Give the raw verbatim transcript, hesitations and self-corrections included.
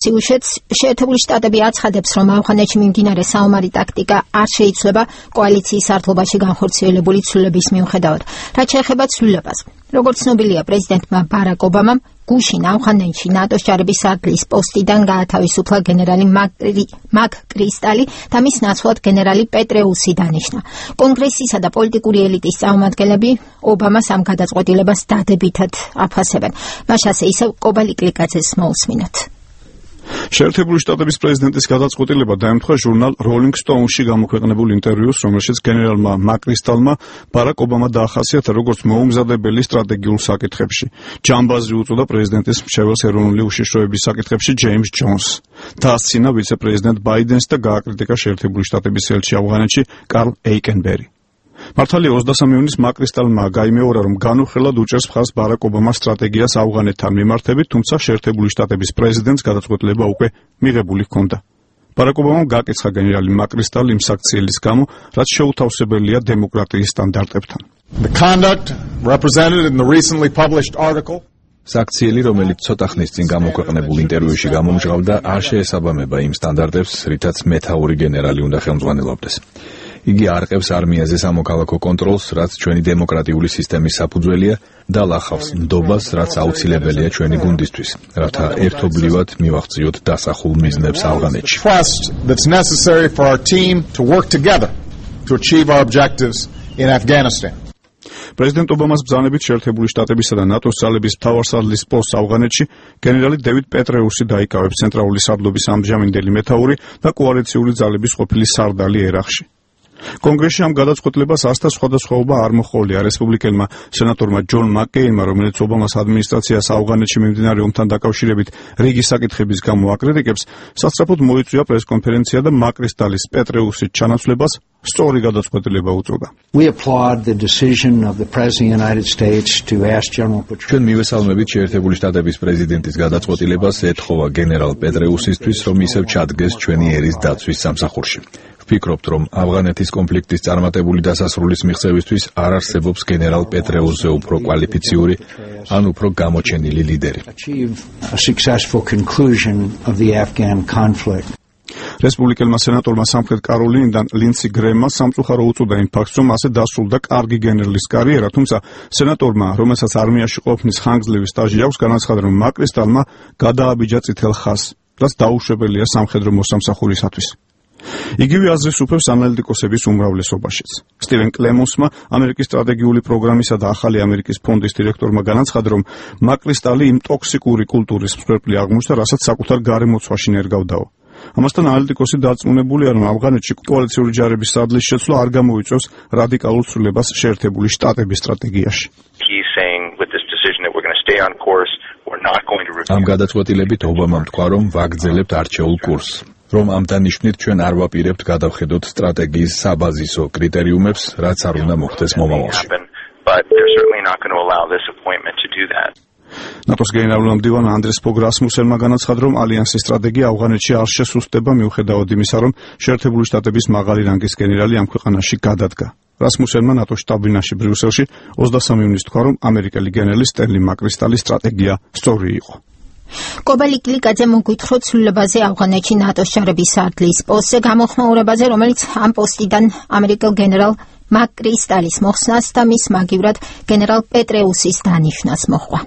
სიუჟეტს შეერთებული შტატები აცხადებს, რომ ავღანეთში მიმდინარე საომარი ტაქტიკა არ შეიცვლება კოალიციის სართულობაში განხორციელებული ცვლილების მიუხედავად. რაც შეეხება ცვლილებას, როგორც ცნობილია, პრეზიდენტმა ბარაკ ობამამ გუშინ ავღანეთში ნატოს ჯარების სარდლის პოსტიდან გაათავისუფლა გენერალი მაგ კრისტალი და მის ნაცვლად გენერალი პეტრეუსი დანიშნა. კონგრესისა და პოლიტიკური ელიტის წარმომადგენლები ობამას ამ გადაწყვეტილებას დადებითად აფასებენ. მაშასე ისევ კობალი კლიკაძეს მოусმინოთ. შეერთებული შტატების პრეზიდენტის გადაწყვეტილება დაემთხვა ჟურნალ Rolling Stone-ში გამოქვეყნებულ ინტერვიუს, რომელშიც გენერალმა მაკრისტალმა ბარაკ ობამა დაახასიათა როგორც მოუმზადებელი სტრატეგიულ საკითხებში. ჯამბაზი უწოდა პრეზიდენტის მრჩეველს ეროვნული უშიშროების საკითხებში ჯეიმს ჯონსს. დაასცინა ვიცე-პრეზიდენტ ბაიდენს და გააკრიტიკა შეერთებული შტატების ელჩი ავღანეთში კარლ ეიკენბერი. მართალია ოცდასამი ივნის მაკრისტალმა გაიმეორა, რომ განუხრელად უჭერს მხარს ბარაკ ობამას სტრატეგიას ავღანეთთან მიმართებით, თუმცა შეერთებული შტატების პრეზიდენტს გადაწყვეტილება უკვე მიღებული ჰქონდა. ბარაკ ობამამ გააკეცხა გენერალი მაკრისტალი იმ საქციელის გამო, რაც შეუთავსებელია დემოკრატიის სტანდარტებთან. The conduct represented in the recently published article საქციელი, რომელიც ცოტა ხნის წინ გამოქვეყნებულ ინტერვიუში გამომჟღავდა, არ შეესაბამება იმ სტანდარტებს, რითაც მეთაური გენერალი უნდა ხელმძღვანელობდეს. იგი არყევს არმიაზე სამოქალაქო კონტროლს, რაც ჩვენი დემოკრატიული სისტემის საფუძველია და ლახავს ნდობას, რაც აუცილებელია ჩვენი გუნდისთვის, რათა ერთობლივად მივაღწიოთ დასახულ მიზნებს ავღანეთში. That's necessary for our team to work together to achieve our objectives in Afghanistan. პრეზიდენტ ობამას ბრძანებით შეერთებული შტატებისა და ნატოს ძალების მთავარსარდლის პოსტს ავღანეთში გენერალი დევიდ პეტრეუსი დაიკავებს ცენტრალური სარდლობის ამჟამინდელი მეთაური და კოალიციური ძალების ყოფილი სარდალი ერაყში. კონგრესში ამ გადაწყვეტილებას ასთა სხვადასხვაობა არ მოჰყოლია რესპუბლიკელმა სენატორმა ჯონ მაკკეინმა, რომელიც ობამას ადმინისტრაციას ავღანეთში მიმდინარე ომთან დაკავშირებით რიგი საკითხების გამო აკრიტიკებს, სასწრაფოდ მოიწვია პრესკონფერენცია და მაკრისტალის პეტრეუსის ჩანაცვლებას სწორი გადაწყვეტილება უწოდა. ჩვენ მივესალმებით შეერთებული შტატების პრეზიდენტის გადაწყვეტილებას ეთხოვა გენერალ პეტრეუსისთვის, რომ ისევ ჩადგეს ჩვენი ერის დაცვის სამსახურში. ვფიქრობთ, რომ ავღანეთის კონფლიქტის წარმატებული დასასრულის მიღწევისთვის არ არსებობს გენერალ პეტრეუსზე უფრო კვალიფიციური, ან უფრო გამოჩენილი ლიდერი. რესპუბლიკელმა სენატორმა სამხრეთ კაროლინიდან ლინდსი გრემმა სამწუხარო უწოდა იმ ფაქტს, რომ ასე დასრულდა კარგი გენერლის კარიერა, თუმცა სენატორმა, რომელსაც არმიაში ყოფნის ხანგრძლივი სტაჟი აქვს, განაცხადა, რომ მაკრისტალმა გადააბიჯა წითელ ხაზს, რაც დაუშვებელია სამხედრო მოსამსახურისათვის. იგივე აზრის უფევს ანალიტიკოსების უმრავლესობაშიც. სტივენ კლემონსმა, ამერიკის სტრატეგიული პროგრამისა და ახალი ამერიკის ფონდის დირექტორმა განაცხადა, რომ მაკრისტალი იმ ტოქსიკური კულტურის მსხვერპლი აღმოჩნდა, რასაც საკუთარ გარემოცვაში ნერგავდაო. ამასთან ანალიტიკოსი დარწმუნებულია, რომ ავღანეთში კოალიციური ჯარების სარდლის შეცვლა არ გამოიწვევს რადიკალურ ცვლილებას შეერთებული შტატების სტრატეგიაში. ამ გადაწყვეტილებით ობამამ თქვა, რომ ვაგრძელებთ არჩეულ კურსს. რომ ამ დანიშვნით ჩვენ არ ვაპირებთ გადავხედოთ სტრატეგიის საბაზისო კრიტერიუმებს, რაც არ უნდა მოხდეს მომავალში. ნატოს გენერალურ მდივან ანდრეს ფოგ რასმუსენმა განაცხადა, რომ ალიანსის სტრატეგია ავღანეთში არ შესუსტება მიუხედავად იმისა, რომ შეერთებული შტატების მაღალი რანგის გენერალი ამ ქვეყანაში გადადგა. რასმუსენმა ნატოს შტაბ-ბინაში ბრიუსელში ოცდასამი ივნის თქვა, რომ ამერიკელი გენერალი სტენლი მაკრისტალის სტრატეგია სწორი იყო. კობალი კლიკაძე მოგვითხრა ცვლილებაზე ავღანეთში ნატოს ჯარების სარდლის პოსტზე გამოხმაურებაზე, რომელიც ამ პოსტიდან ამერიკელ გენერალ მაკ კრისტალის მოხსნას და მის მაგივრად გენერალ პეტრეუსის დანიშვნას მოჰყვა.